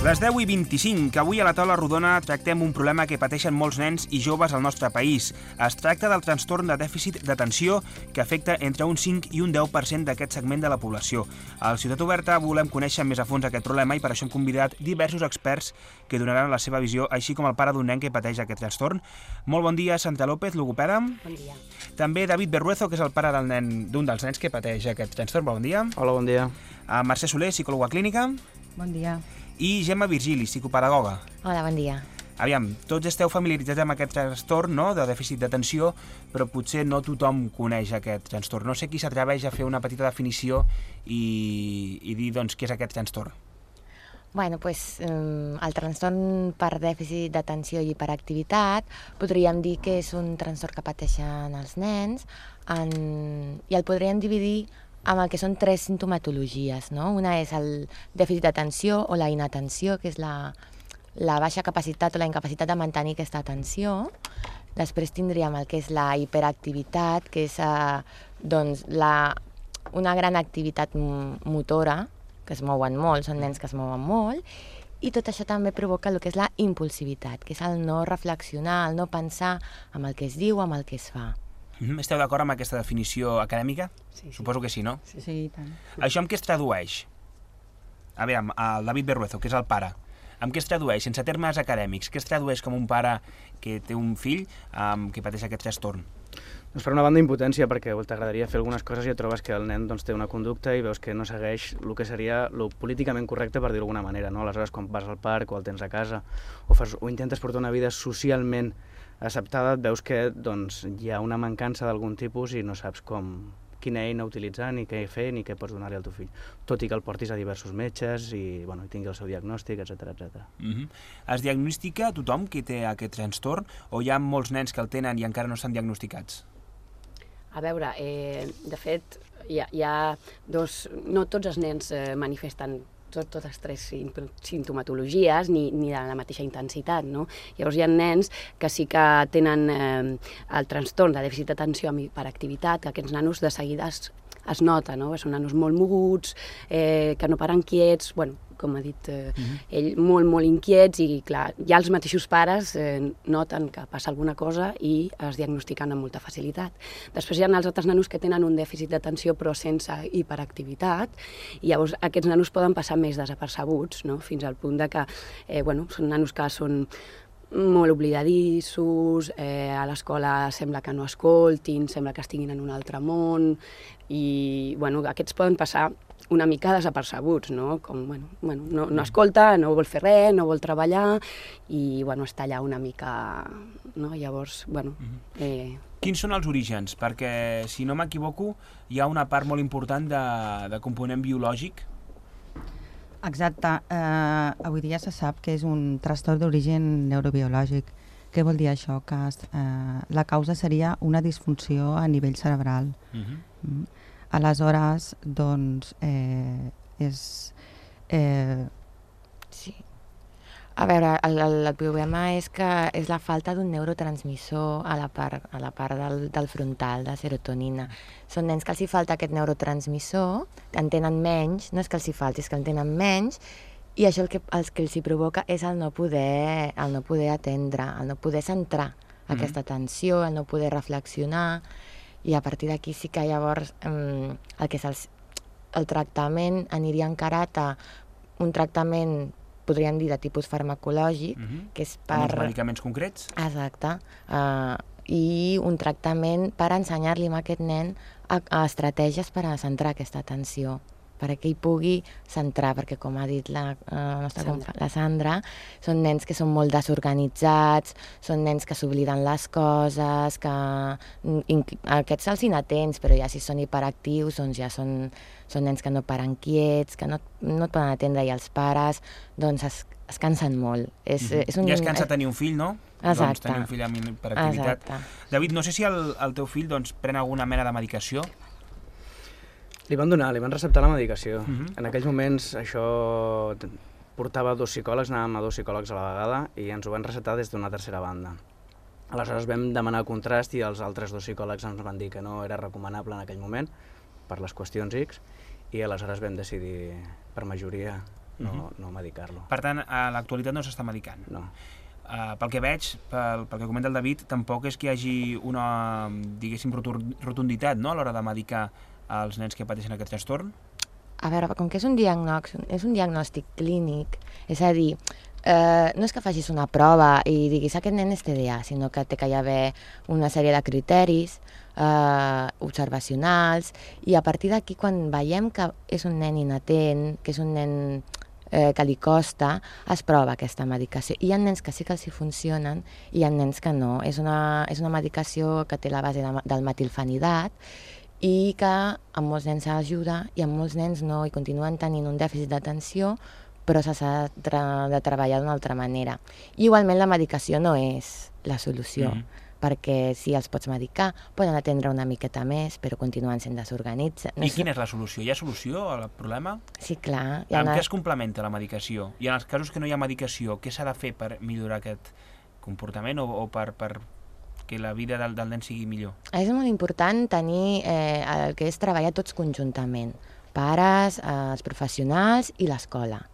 Les 10:25, que avui a la taula rodona tractem un problema que pateixen molts nens i joves al nostre país. Es tracta del trastorn de dèficit d'atenció que afecta entre un 5 i un 10% d'aquest segment de la població. Al Ciutat Oberta volem conèixer més a fons aquest problema i per això hem convidat diversos experts que donaran la seva visió, així com el pare d'un nen que pateix aquest trastorn. Molt bon dia, Santa López, logopeda. Bon dia. També David Berruezo, que és el pare d'un dels nens que pateix aquest trastorn. Bon dia. Hola, bon dia. Mercè Soler, psicòloga clínica. Bon dia. I Gemma Virgili, psicopedagoga. Hola, bon dia. Aviam, tots esteu familiaritzats amb aquest trastorn, no?, de dèficit d'atenció, però potser no tothom coneix aquest trastorn. No sé qui s'atreveix a fer una petita definició i dir, doncs, què és aquest trastorn. Bueno, pues, el trastorn per dèficit d'atenció i hiperactivitat podríem dir que és un trastorn que pateixen els nens i el podríem dividir amb el que són 3 sintomatologies, no? Una és el dèficit d'atenció o la inatenció, que és la baixa capacitat o la incapacitat de mantenir aquesta atenció. Després tindríem el que és la hiperactivitat, que és doncs, una gran activitat motora, que es mouen molt, són nens que es mouen molt, i tot això també provoca el que és la impulsivitat, que és el no reflexionar, el no pensar amb el que es diu, amb el que es fa. Esteu d'acord amb aquesta definició acadèmica? Sí. Suposo que sí, no? Sí, i tant. Això amb què es tradueix? A veure, el David Berruezo, que és el pare, amb què es tradueix, sense termes acadèmics? Què es tradueix com un pare que té un fill que pateix aquest trastorn? Doncs per una banda, impotència, perquè t'agradaria fer algunes coses i et trobes que el nen té una conducta i veus que no segueix el que seria el políticament correcte, per dir-ho d'alguna manera, no? Aleshores, quan vas al parc o el tens a casa o intentes portar una vida socialment acceptada, et veus que hi ha una mancança d'algun tipus i no saps quina eina utilitzar, ni què fer, ni què pots donar-li al teu fill. Tot i que el portis a diversos metges i tingui el seu diagnòstic, etc. Es diagnostica tothom que té aquest trastorn o hi ha molts nens que el tenen i encara no estan diagnosticats? A veure, de fet, hi ha no tots els nens manifesten totes 3 sintomatologies ni de la mateixa intensitat, no? Llavors hi ha nens que sí que tenen el trastorn de dèficit d'atenció amb hiperactivitat, que aquests nanos de seguida es nota, no? Són nanos molt moguts, que no paren quiets, com ha dit ell, molt inquiets i, clar, ja els mateixos pares noten que passa alguna cosa i es diagnostiquen amb molta facilitat. Després hi ha els altres nanos que tenen un dèficit d'atenció però sense hiperactivitat i llavors aquests nanos poden passar més desapercebuts, no? Fins al punt de que són nanos que són molt oblidadissos, a l'escola sembla que no escoltin, sembla que estiguin en un altre món i aquests poden passar una mica desapercebuts, no? Com, no escolta, no vol fer res, no vol treballar i, està allà una mica, no? Llavors, Quins són els orígens? Perquè, si no m'equivoco, hi ha una part molt important de component biològic. Exacte. Avui dia se sap que és un trastorn d'origen neurobiològic. Què vol dir això? Que la causa seria una disfunció a nivell cerebral. Aleshores, Sí. A veure, el problema és que és la falta d'un neurotransmissor a la part del frontal, de serotonina. Són nens que els hi falta aquest neurotransmissor, en tenen menys, no és que els hi falti, és que en tenen menys, i això el que els hi provoca és el no poder atendre, el no poder centrar aquesta atenció, el no poder reflexionar, i a partir d'aquí sí que llavors el que és el tractament aniria encarat a un tractament, podríem dir, de tipus farmacològic, que és per... Amb uns medicaments concrets? Exacte. I un tractament per ensenyar-li a aquest nen a estratègies per a centrar aquesta atenció, perquè ell pugui centrar, perquè com ha dit la Sandra, són nens que són molt desorganitzats, són nens que s'obliden les coses, que aquests se'ls inatents, però ja si són hiperactius, doncs ja són nens que no paren quiets, que no et poden atendre, i els pares doncs es cansen molt. Ja es cansa tenir un fill, no? Exacte. Doncs tenir un fill amb hiperactivitat. David, no sé si el teu fill pren alguna mena de medicació? Li van receptar la medicació. En aquells moments això portava 2 psicòlegs, anàvem a 2 psicòlegs a la vegada i ens ho van receptar des d'una tercera banda. Aleshores vam demanar contrast i els altres 2 psicòlegs ens van dir que no era recomanable en aquell moment per les qüestions X i aleshores vam decidir per majoria no medicar-lo. Per tant, a l'actualitat no s'està medicant. No. Pel que veig, pel que comenta el David, tampoc és que hi hagi una, diguéssim, rotunditat, no?, a l'hora de medicar els nens que pateixen aquest trastorn. A veure, com que és un diagnòstic clínic, és a dir, no és que facis una prova i diguis aquest nen és TDA, sinó que té que hi haver una sèrie de criteris observacionals, i a partir d'aquí, quan veiem que és un nen inatent, que és un nen que li costa, es prova aquesta medicació. Hi ha nens que sí que els hi funcionen i hi ha nens que no. És una medicació que té la base del metilfenidat i que a molts nens ajuda i a molts nens no, i continuen tenint un dèficit d'atenció, però s'ha de treballar d'una altra manera. I igualment la medicació no és la solució, perquè si els pots medicar poden atendre una miqueta més, però continuen sent desorganitzats. I quina és la solució? Hi ha solució al problema? Sí, clar. Amb què es complementa la medicació? I en els casos que no hi ha medicació, què s'ha de fer per millorar aquest comportament o per que la vida del nen sigui millor? És molt important tenir el que és treballar tots conjuntament, pares, els professionals i l'escola.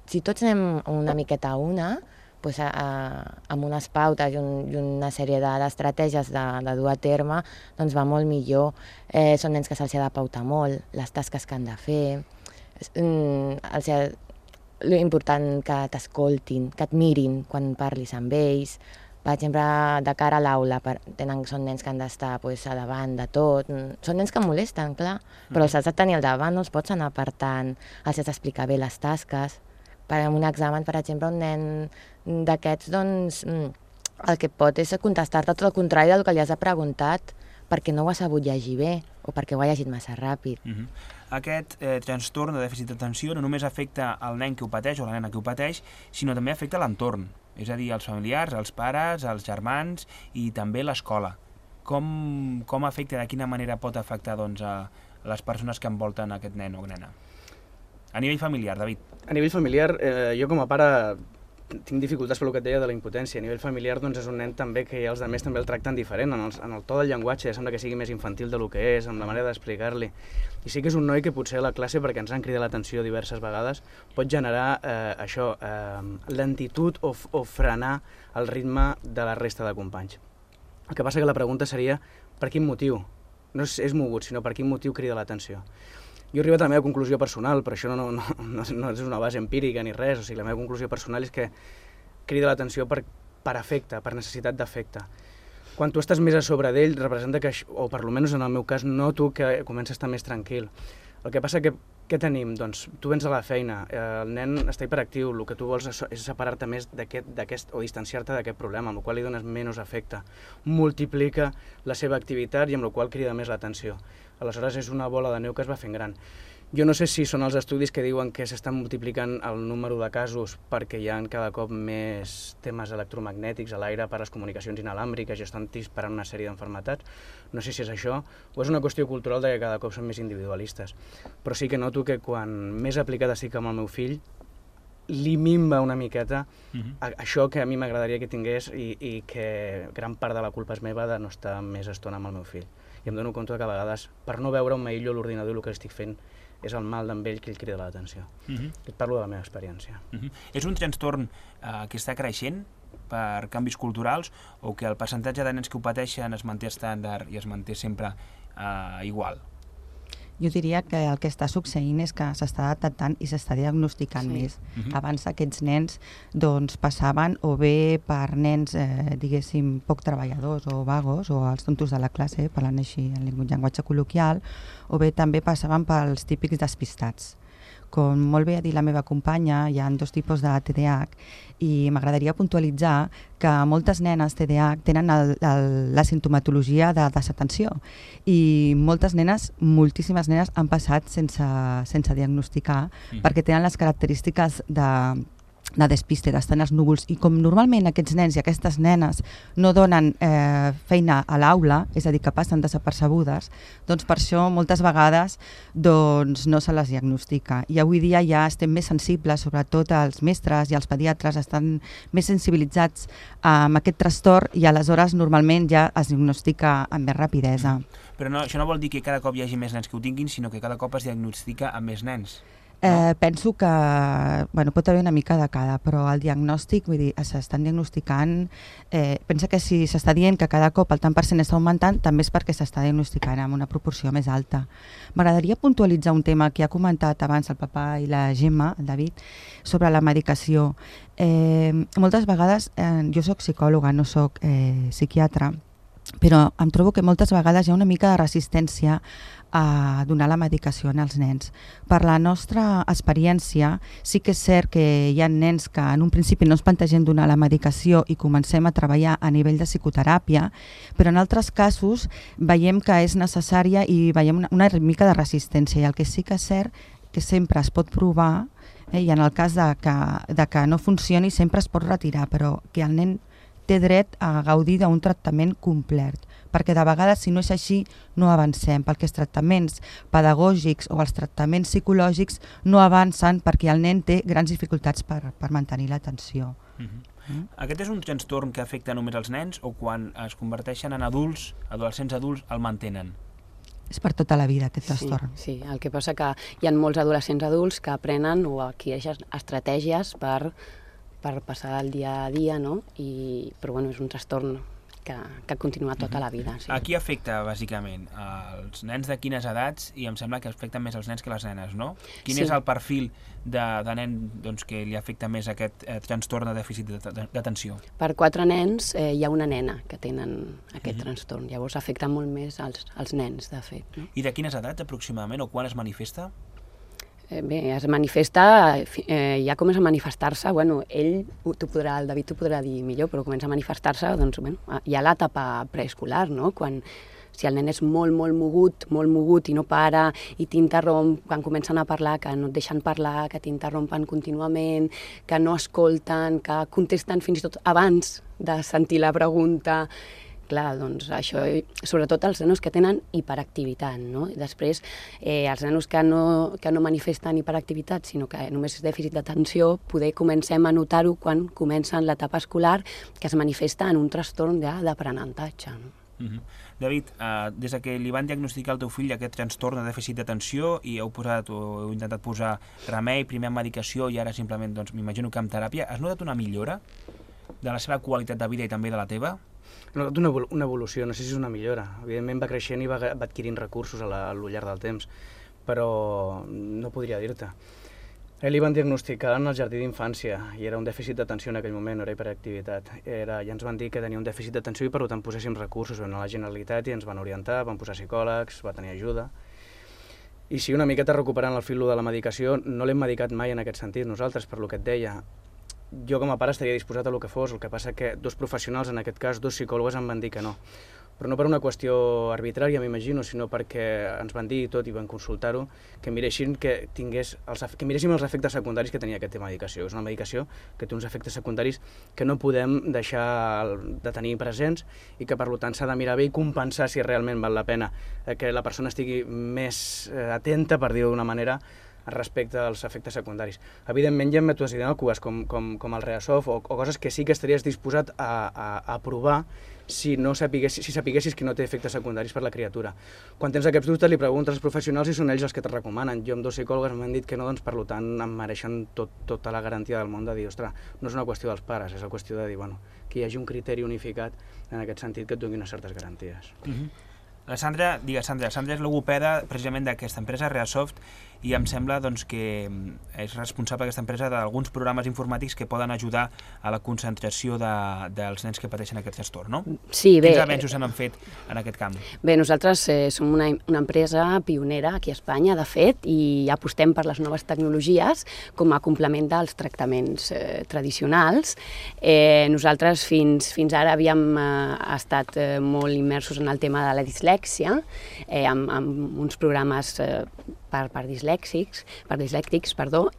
Si tots anem una miqueta a una, doncs, amb unes pautes i una sèrie d'estratègies de dur a terme, doncs va molt millor. Són nens que se'ls ha de pautar molt, les tasques que han de fer, l'important que t'escoltin, que et mirin quan parlis amb ells. Per exemple, de cara a l'aula, són nens que han d'estar a davant de tot. Són nens que molesten, clar, però els has de tenir al davant, no els pots anar apartant, els has d'explicar bé les tasques. En un examen, per exemple, un nen d'aquests, doncs, el que pot és contestar-te tot el contrari del que li has preguntat, perquè no ho ha sabut llegir bé o perquè ho ha llegit massa ràpid. Aquest trastorn de dèficit d'atenció no només afecta el nen que ho pateix o la nena que ho pateix, sinó també afecta l'entorn, és a dir, els familiars, els pares, els germans i també l'escola. Com afecta, de quina manera pot afectar a les persones que envolten aquest nen o nena? A nivell familiar, David. A nivell familiar, jo com a pare tinc dificultats per el que et deia de la impotència. A nivell familiar doncs, és un nen també que els altres també el tracten diferent. En el to del llenguatge sembla que sigui més infantil del que és, amb la manera d'explicar-li. I sí que és un noi que potser a la classe, perquè ens han cridat l'atenció diverses vegades, pot generar lentitud o frenar el ritme de la resta de companys. El que passa que la pregunta seria per quin motiu? No és mogut, sinó per quin motiu crida l'atenció. Jo he arribat a la meva conclusió personal, però això no és una base empírica ni res, o sigui, la meva conclusió personal és que crida l'atenció per afecte, per necessitat d'afecte. Quan tu estàs més a sobre d'ell, representa que, o per almenys en el meu cas, noto que comença a estar més tranquil. El que passa que, què tenim? Doncs tu vens a la feina, el nen està hiperactiu, el que tu vols és separar-te més d'aquest o distanciar-te d'aquest problema, amb el qual li dones menys afecte. Multiplica la seva activitat i amb el qual crida més l'atenció. Aleshores és una bola de neu que es va fent gran. Jo no sé si són els estudis que diuen que s'estan multiplicant el número de casos perquè hi ha cada cop més temes electromagnètics a l'aire per a les comunicacions inalàmbriques i estan disparant una sèrie d'enfermetats. No sé si és això o és una qüestió cultural de que cada cop són més individualistes. Però sí que noto que quan més aplicada estic amb el meu fill, li minva una miqueta això que a mi m'agradaria que tingués i que gran part de la culpa és meva de no estar més estona amb el meu fill. I em dono compte que a vegades, per no veure un m'aïllo a l'ordinador el que estic fent, és el mal d'en ell que ell crida l'atenció. Et parlo de la meva experiència. És un trastorn que està creixent per canvis culturals o que el percentatge de nens que ho pateixen es manté estàndard i es manté sempre igual? Jo diria que el que està succeint és que s'està detectant i s'està diagnosticant més. Abans aquests nens doncs, passaven o bé per nens, diguéssim, poc treballadors o vagos, o els tontos de la classe, parlant així en llenguatge col·loquial, o bé també passaven pels típics despistats. Com molt bé ha dit la meva companya, hi ha dos tipus de TDAH i m'agradaria puntualitzar que moltes nenes TDAH tenen la sintomatologia de desatenció i moltes nenes, moltíssimes nenes, han passat sense diagnosticar perquè tenen les característiques de despiste, d'estar en els núvols, i com normalment aquests nens i aquestes nenes no donen feina a l'aula, és a dir, que passen desapercebudes, doncs per això moltes vegades doncs, no se les diagnostica. I avui dia ja estem més sensibles, sobretot els mestres i els pediatres estan més sensibilitzats amb aquest trastorn i aleshores normalment ja es diagnostica amb més rapidesa. Però això no vol dir que cada cop hi hagi més nens que ho tinguin, sinó que cada cop es diagnostica amb més nens. Penso que pot haver una mica de cada, però el diagnòstic, vull dir, s'estan diagnosticant, pensa que si s'està dient que cada cop el tant per cent està augmentant, també és perquè s'està diagnosticant amb una proporció més alta. M'agradaria puntualitzar un tema que ha comentat abans el Papa i la Gemma, el David, sobre la medicació. Moltes vegades, jo soc psicòloga, no soc psiquiatra, però em trobo que moltes vegades hi ha una mica de resistència a donar la medicació als nens. Per la nostra experiència, sí que és cert que hi ha nens que en un principi no ens plantegem donar la medicació i comencem a treballar a nivell de psicoteràpia, però en altres casos veiem que és necessària i veiem una mica de resistència. I el que sí que és cert que sempre es pot provar, i en el cas de que no funcioni sempre es pot retirar, però que el nen té dret a gaudir d'un tractament complet, perquè de vegades, si no és així, no avancem, perquè els tractaments pedagògics o els tractaments psicològics no avancen perquè el nen té grans dificultats per mantenir l'atenció. Aquest és un trastorn que afecta només els nens o quan es converteixen en adults, adolescents adults, el mantenen? És per tota la vida, aquest trastorn. Sí, el que passa que hi ha molts adolescents adults que aprenen o adquireixen estratègies per passar el dia a dia, no? Però és un trastorn que continua tota la vida. Sí. A qui afecta, bàsicament? Els nens de quines edats? I em sembla que afecten més els nens que les nenes, no? Quin és el perfil de nen que li afecta més aquest trastorn de dèficit d'atenció? Per 4 nens hi ha una nena que tenen aquest trastorn. Llavors afecta molt més als nens, de fet. No? I de quines edats, aproximadament, o quan es manifesta? Bé, es manifesta, ja comença a manifestar-se, ell, el David t'ho podrà dir millor, però comença a manifestar-se, hi ha l'etapa preescolar, no? Si el nen és molt mogut i no para, i t'interromp, quan comencen a parlar, que no et deixen parlar, que t'interrompen contínuament, que no escolten, que contesten fins i tot abans de sentir la pregunta. Clar, doncs això, sobretot els nanos que tenen hiperactivitat, no? I després, els nanos que no manifesten hiperactivitat, sinó que només és dèficit d'atenció, poder comencem a notar-ho quan comencen l'etapa escolar, que es manifesta en un trastorn d'aprenentatge. No? David, des que li van diagnosticar al teu fill aquest trastorn de dèficit d'atenció i heu intentat posar remei, primer amb medicació i ara simplement, m'imagino que amb teràpia, has notat una millora de la seva qualitat de vida i també de la teva? He notat una evolució, no sé si és una millora. Evidentment va creixent i va adquirint recursos al llarg del temps, però no podria dir-te. Li van diagnosticar en el jardí d'infància i era un dèficit d'atenció en aquell moment, no era hiperactivitat. Ja ens van dir que tenia un dèficit d'atenció i per tant poséssim recursos. Vam anar a la Generalitat i ens van orientar, van posar psicòlegs, va tenir ajuda. I sí, una miqueta recuperant el fil de la medicació, no l'hem medicat mai en aquest sentit nosaltres, per lo que et deia. Jo com a pare estaria disposat a el que fos, el que passa que 2 professionals, en aquest cas 2 psicòlogs, em van dir que no. Però no per una qüestió arbitrària, m'imagino, sinó perquè ens van dir tot i van consultar-ho, que miréssim els efectes secundaris que tenia aquesta medicació. És una medicació que té uns efectes secundaris que no podem deixar de tenir presents i que per tant s'ha de mirar bé i compensar si realment val la pena que la persona estigui més atenta, per dir-ho d'una manera, respecte als efectes secundaris. Evidentment hi ha mètodes inòcues com el Reasoft o coses que sí que estaries disposat a provar si sapiguessis que no té efectes secundaris per la criatura. Quan tens aquests dubtes li preguntes als professionals i són ells els que te recomanen. Jo amb 2 psicòlogs m'han dit que no, doncs per tant em mereixen tota la garantia del món de dir, ostres, no és una qüestió dels pares, és una qüestió de dir, que hi hagi un criteri unificat en aquest sentit que et doni unes certes garanties. La Sandra és logopeda precisament d'aquesta empresa, Reasoft, i em sembla que és responsable d'aquesta empresa d'alguns programes informàtics que poden ajudar a la concentració dels nens que pateixen aquest trastorn, no? Sí, bé. Quins avenços s'han fet en aquest camp? Bé, nosaltres som una empresa pionera aquí a Espanya, de fet, i apostem per les noves tecnologies com a complement dels tractaments tradicionals. Nosaltres fins ara havíem estat molt immersos en el tema de la dislèxia, amb uns programes per dislèctics,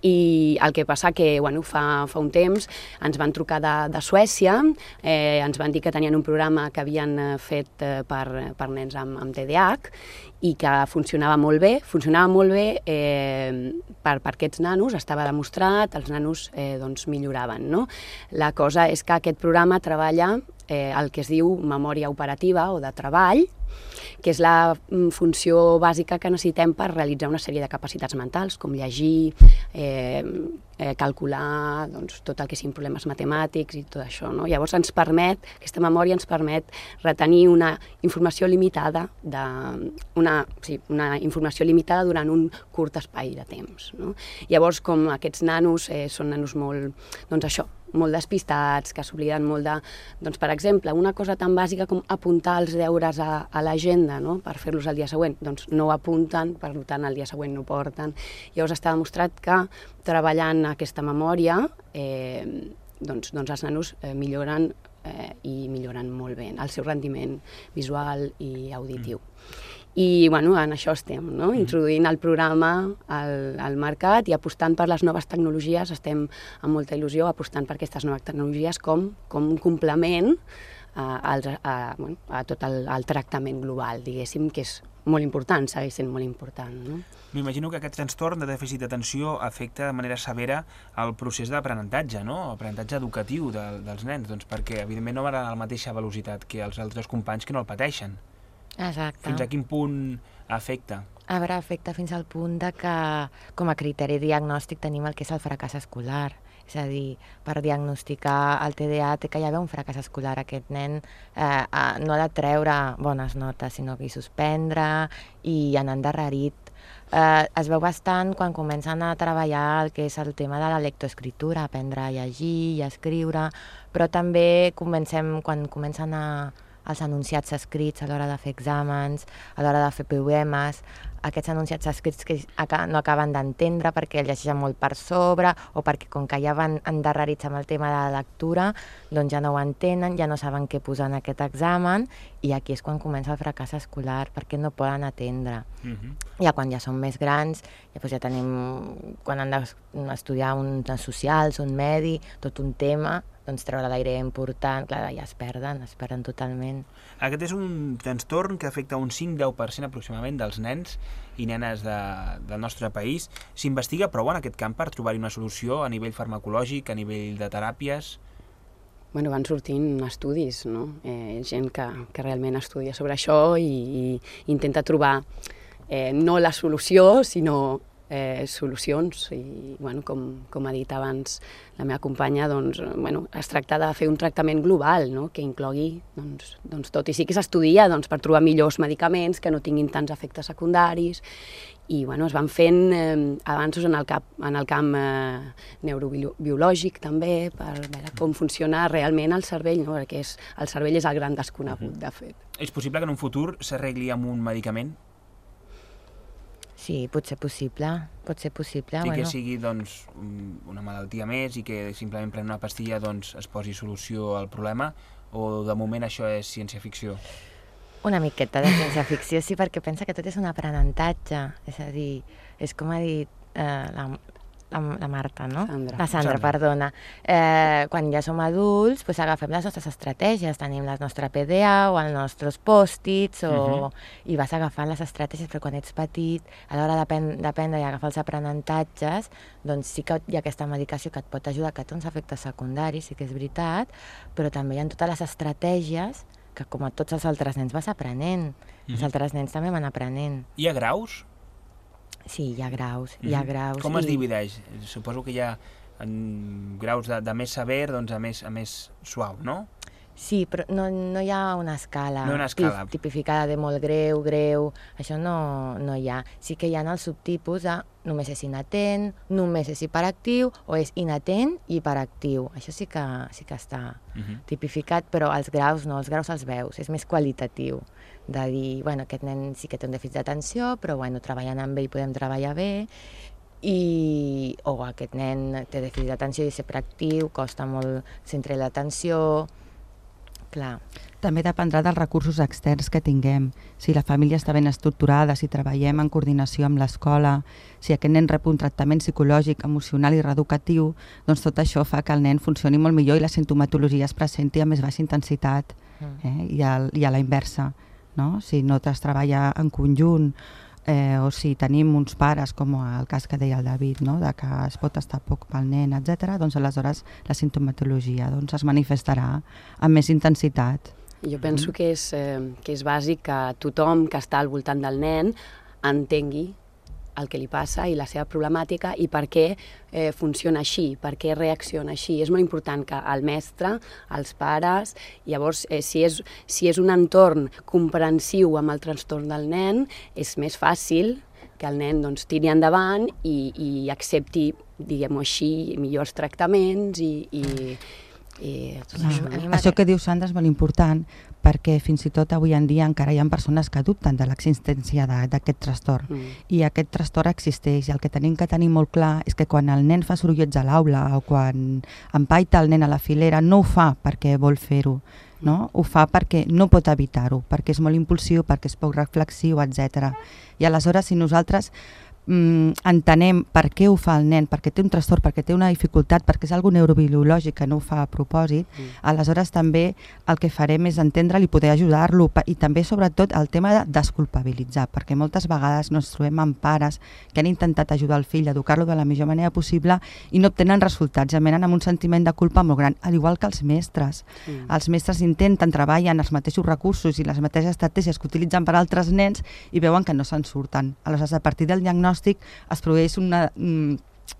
i el que passa que fa un temps ens van trucar de Suècia, ens van dir que tenien un programa que havien fet per nens amb TDAH i que funcionava molt bé per aquests nanos, estava demostrat, els nanos milloraven. La cosa és que aquest programa treballa el que es diu memòria operativa o de treball, que és la funció bàsica que necessitem per realitzar una sèrie de capacitats mentals, com llegir, calcular, doncs, tot el que siguin problemes matemàtics i tot això, no? Llavors aquesta memòria ens permet retenir una informació limitada una informació limitada durant un curt espai de temps, no? Llavors, com aquests nanos són nanos molt, doncs això, molt despistats, que s'obliden molt de... Doncs, per exemple, una cosa tan bàsica com apuntar els deures a l'agenda, no?, per fer-los el dia següent, doncs no ho apunten, per tant el dia següent no ho porten. Llavors està demostrat que treballant aquesta memòria doncs els nanos milloren i milloren molt bé el seu rendiment visual i auditiu. I bueno, en això estem, no? Introduint el programa al mercat i apostant per les noves tecnologies. Estem amb molta il·lusió apostant per aquestes noves tecnologies com un complement a tot el tractament global, diguéssim, que és molt important, segueix sent molt important, no? M'imagino que aquest trastorn de dèficit d'atenció afecta de manera severa el procés d'aprenentatge, no? L'aprenentatge educatiu dels nens, doncs perquè evidentment no van a la mateixa velocitat que els altres companys que no el pateixen. Exacte. Fins a quin punt afecta? A veure, afecta fins al punt de que com a criteri diagnòstic tenim el que és el fracàs escolar. És a dir, per diagnosticar el TDA té que hi haver un fracàs escolar. Aquest nen no ha de treure bones notes, sinó que hi suspendre i anar endarrerit. Es veu bastant quan comencen a treballar el que és el tema de la lectoescriptura, aprendre a llegir i a escriure, però també quan comencen els enunciats escrits a l'hora de fer exàmens, a l'hora de fer poemes, aquests enunciats escrits que no acaben d'entendre perquè llegeixen molt per sobre o perquè com que ja van endarrerits amb el tema de la lectura, doncs ja no ho entenen, ja no saben què posar en aquest examen i aquí és quan comença el fracàs escolar perquè no poden atendre. Ja quan ja són més grans, ja tenim, quan han d'estudiar uns socials, un medi, tot un tema, doncs treure l'aire important, clar, ja es perden totalment. Aquest és un trastorn que afecta un 5-10% aproximadament dels nens i nenes del nostre país. S'investiga prou en aquest camp per trobar-hi una solució a nivell farmacològic, a nivell de teràpies? Bueno, van sortint estudis, no? Gent que realment estudia sobre això i intenta trobar no la solució, sinó solucions i, bueno, com ha dit abans la meva companya, doncs, bueno, es tracta de fer un tractament global, no?, que inclogui doncs tot, i sí que s'estudia per trobar millors medicaments que no tinguin tants efectes secundaris i, bueno, es van fent avanços en el camp neurobiològic també, per veure com funciona realment el cervell, no?, perquè el cervell és el gran desconegut, de fet. És possible que en un futur s'arregli amb un medicament? Sí, pot ser possible. I que sigui doncs, una malaltia més i que simplement prenent una pastilla doncs, es posi solució al problema, o de moment això és ciència-ficció? Una miqueta de ciència-ficció, sí, perquè pensa que tot és un aprenentatge. És a dir, és com ha dit la Marta, no? La Sandra, perdona. Quan ja som adults, doncs agafem les nostres estratègies. Tenim la nostra PDA o els nostres pòstits i vas agafant les estratègies, però quan ets petit, a l'hora d'aprendre i agafar els aprenentatges, doncs sí que hi ha aquesta medicació que et pot ajudar, que té uns efectes secundaris, sí que és veritat, però també hi ha totes les estratègies que, com a tots els altres nens, vas aprenent. Els altres nens també van aprenent. Hi ha graus? Sí, hi ha graus. Com es divideix? Suposo que hi ha graus de més sever doncs, a més suau, no? Sí, però no hi ha una escala, tipificada de molt greu, això no hi ha. Sí que hi ha els subtipus de només és inatent, només és hiperactiu o és inatent i hiperactiu. Això sí que està tipificat, però els graus no, els graus els veus, és més qualitatiu. De dir, bueno, aquest nen sí que té un dèficit d'atenció, però bueno, treballant amb ell podem treballar bé, o aquest nen té dèficit d'atenció i és hiperactiu, costa molt centrar l'atenció. Clar. També dependrà dels recursos externs que tinguem. Si la família està ben estructurada, si treballem en coordinació amb l'escola, si aquest nen rep un tractament psicològic, emocional i reeducatiu, doncs tot això fa que el nen funcioni molt millor i la sintomatologia es presenti a més baixa intensitat i a la inversa. No? Si no es treballa en conjunt o si tenim uns pares, com el cas que deia el David, no? De que es pot estar poc pel nen, etc., doncs aleshores la sintomatologia es manifestarà amb més intensitat. Jo penso que és bàsic que tothom que està al voltant del nen entengui el que li passa i la seva problemàtica i per què funciona així, per què reacciona així. És molt important que el mestre, els pares, llavors si és un entorn comprensiu amb el trastorn del nen, és més fàcil que el nen tiri endavant i accepti, diguem-ho així, millors tractaments i tot això. Això que diu Sandra és molt important perquè fins i tot avui en dia encara hi ha persones que dubten de l'existència d'aquest trastorn i aquest trastorn existeix i el que tenim que tenir molt clar és que quan el nen fa sorollets a l'aula o quan empaita el nen a la filera no ho fa perquè vol fer-ho, no? Ho fa perquè no pot evitar-ho, perquè és molt impulsiu, perquè és poc reflexiu, etc. I aleshores si nosaltres entenem per què ho fa el nen, perquè té un trastorn, perquè té una dificultat, perquè és algo neurobiològic que no ho fa a propòsit, aleshores també el que farem és entendre'l i poder ajudar-lo i també sobretot el tema de desculpabilitzar, perquè moltes vegades ens trobem amb pares que han intentat ajudar el fill a educar-lo de la millor manera possible i no obtenen resultats, ja venen amb un sentiment de culpa molt gran, al igual que els mestres. Els mestres intenten, treballen els mateixos recursos i les mateixes estratègies que utilitzen per a altres nens i veuen que no se'n surten. Aleshores, a partir del diagnòstic es produeix una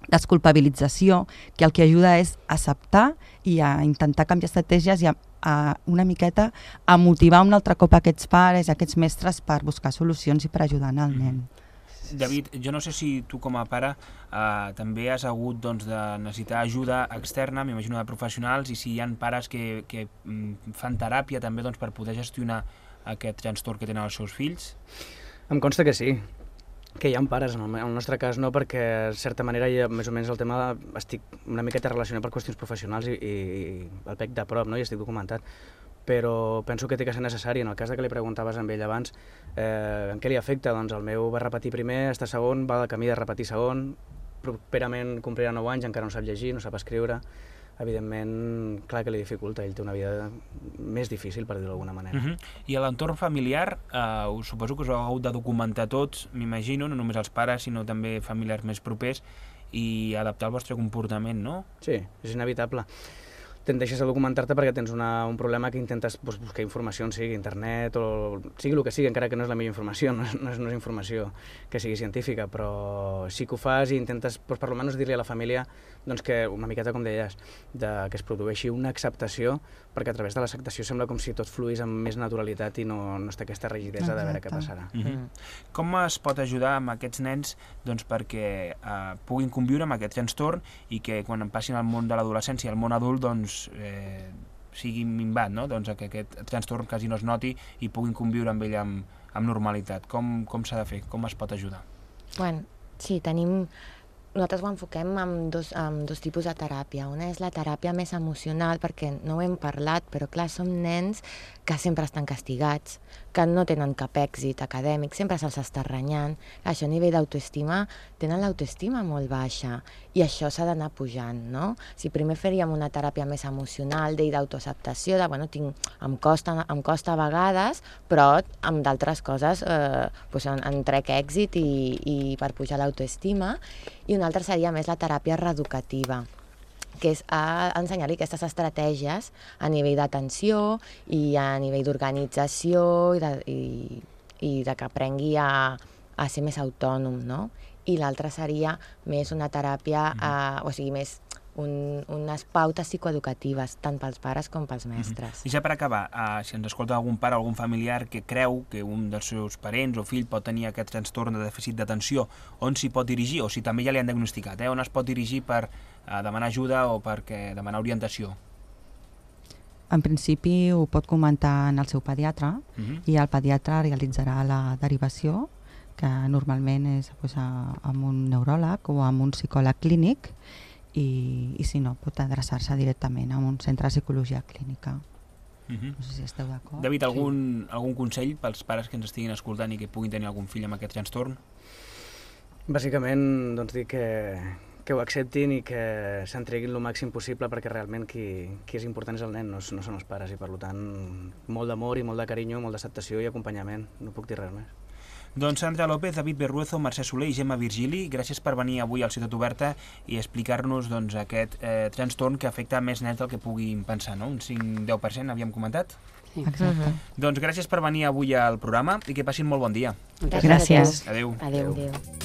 desculpabilització que el que ajuda és a acceptar i a intentar canviar estratègies i a una miqueta a motivar un altre cop aquests pares, aquests mestres per buscar solucions i per ajudar el nen. David, jo no sé si tu com a pare també has hagut de necessitar ajuda externa, m'imagino de professionals, i si hi ha pares que fan teràpia també per poder gestionar aquest trastorn que tenen els seus fills? Em consta que sí, que hi ha pares, en el nostre cas no, perquè de certa manera més o menys el tema estic una miqueta relacionat per qüestions professionals i el pec de prop, no? I estic documentat, però penso que té que ser necessari. En el cas que li preguntaves a ell abans en què li afecta, doncs el meu va repetir primer, està segon, va de camí de repetir segon, properament complirà 9 anys, encara no sap llegir, no sap escriure. Evidentment, clar que li dificulta, ell té una vida més difícil, per dir-ho d'alguna manera. I a l'entorn familiar, suposo que us heu hagut de documentar tots, m'imagino, no només els pares, sinó també familiars més propers, i adaptar el vostre comportament, no? Sí, és inevitable. Tendeixes a documentar-te perquè tens un problema que intentes buscar informació, sigui internet o sigui el que sigui, encara que no és la millor informació, no és informació que sigui científica, però sí que ho fas i intentes, per almenys dir-li a la família que una miqueta com deies, que es produeixi una acceptació, perquè a través de l'acceptació sembla com si tot fluís amb més naturalitat i no està aquesta rigidesa de veure què passarà. Com es pot ajudar amb aquests nens perquè puguin conviure amb aquest trastorn i que quan passin al món de l'adolescència, al món adult, sigui minvat, no? Que aquest trastorn quasi no es noti i puguin conviure amb ell amb normalitat. Com s'ha de fer? Com es pot ajudar? Bueno, sí, nosaltres ho enfoquem amb dos tipus de teràpia. Una és la teràpia més emocional, perquè no ho hem parlat, però clar, som nens que sempre estan castigats, que no tenen cap èxit acadèmic, sempre se'ls està renyant. Això a nivell d'autoestima, tenen l'autoestima molt baixa i això s'ha d'anar pujant, no? Si primer faríem una teràpia més emocional, d'autoacceptació, em costa a vegades, però amb d'altres coses en trec èxit i per pujar l'autoestima. I una altra seria més la teràpia reeducativa, que és ensenyar-li aquestes estratègies a nivell d'atenció i a nivell d'organització i de que aprengui a ser més autònom, no? I l'altra seria més una teràpia, més unes pautes psicoeducatives, tant pels pares com pels mestres. I ja per acabar, si ens escolta algun pare o algun familiar que creu que un dels seus parents o fill pot tenir aquest trastorn de dèficit d'atenció, on s'hi pot dirigir, o si també ja li han diagnosticat, on es pot dirigir per demanar ajuda o per demanar orientació? En principi ho pot comentar en el seu pediatre i el pediatre realitzarà la derivació, que normalment és amb un neuròleg o amb un psicòleg clínic, i si no, pot adreçar-se directament a un centre de psicologia clínica. No sé si esteu d'acord. David, algun consell pels pares que ens estiguin escoltant i que puguin tenir algun fill amb aquest trastorn? Bàsicament, dir que ho acceptin i que s'entreguin el màxim possible, perquè realment qui és important és el nen, no són els pares, i per tant molt d'amor i molt de carinyo, molt d'acceptació i acompanyament, no puc dir res més. Doncs Sandra López, David Berruezo, Mercè Soler i Gemma Virgili, gràcies per venir avui al Ciutat Oberta i explicar-nos aquest trastorn que afecta més nens del que puguin pensar, no? Un 5-10%, havíem comentat? Sí. Exacte. Doncs gràcies per venir avui al programa i que passin molt bon dia. Moltes Gràcies. Adéu. Adéu. Adéu.